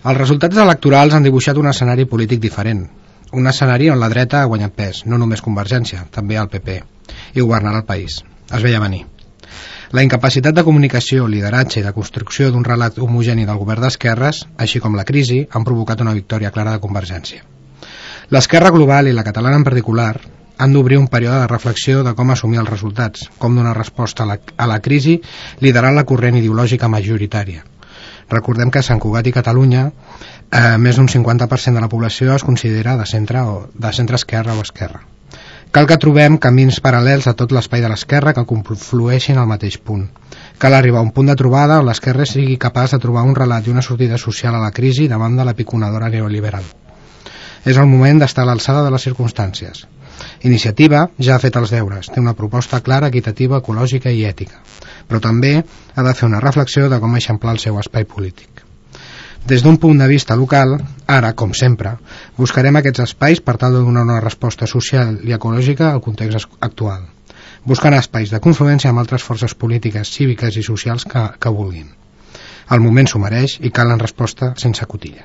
Els resultats electorals han dibuixat un escenari polític diferent. Un escenari on la dreta ha guanyat pes, no només Convergència, també el PP, i governarà el país. Es veia venir. La incapacitat de comunicació, lideratge i de construcció d'un relat homogeni del govern d'esquerres, així com la crisi, han provocat una victòria clara de Convergència. L'esquerra global i la catalana en particular han d'obrir un període de reflexió de com assumir els resultats, com donar resposta a la crisi liderant la corrent ideològica majoritària. Recordem que a Sant Cugat i Catalunya més d'un 50% de la població es considera de centre esquerra o esquerra. Cal que trobem camins paral·lels a tot l'espai de l'esquerra que conflueixin al mateix punt. Cal arribar a un punt de trobada on l'esquerra sigui capaç de trobar un relat i una sortida social a la crisi davant de la piconadora neoliberal. És el moment d'estar a l'alçada de les circumstàncies. Iniciativa ja ha fet els deures, té una proposta clara, equitativa, ecològica i ètica, però també ha de fer una reflexió de com eixamplar el seu espai polític. Des d'un punt de vista local, ara, com sempre, buscarem aquests espais per tal de donar una resposta social i ecològica al context actual, buscant espais de confluència amb altres forces polítiques, cíviques i socials que vulguin. El moment s'ho mereix i calen resposta sense cotilles.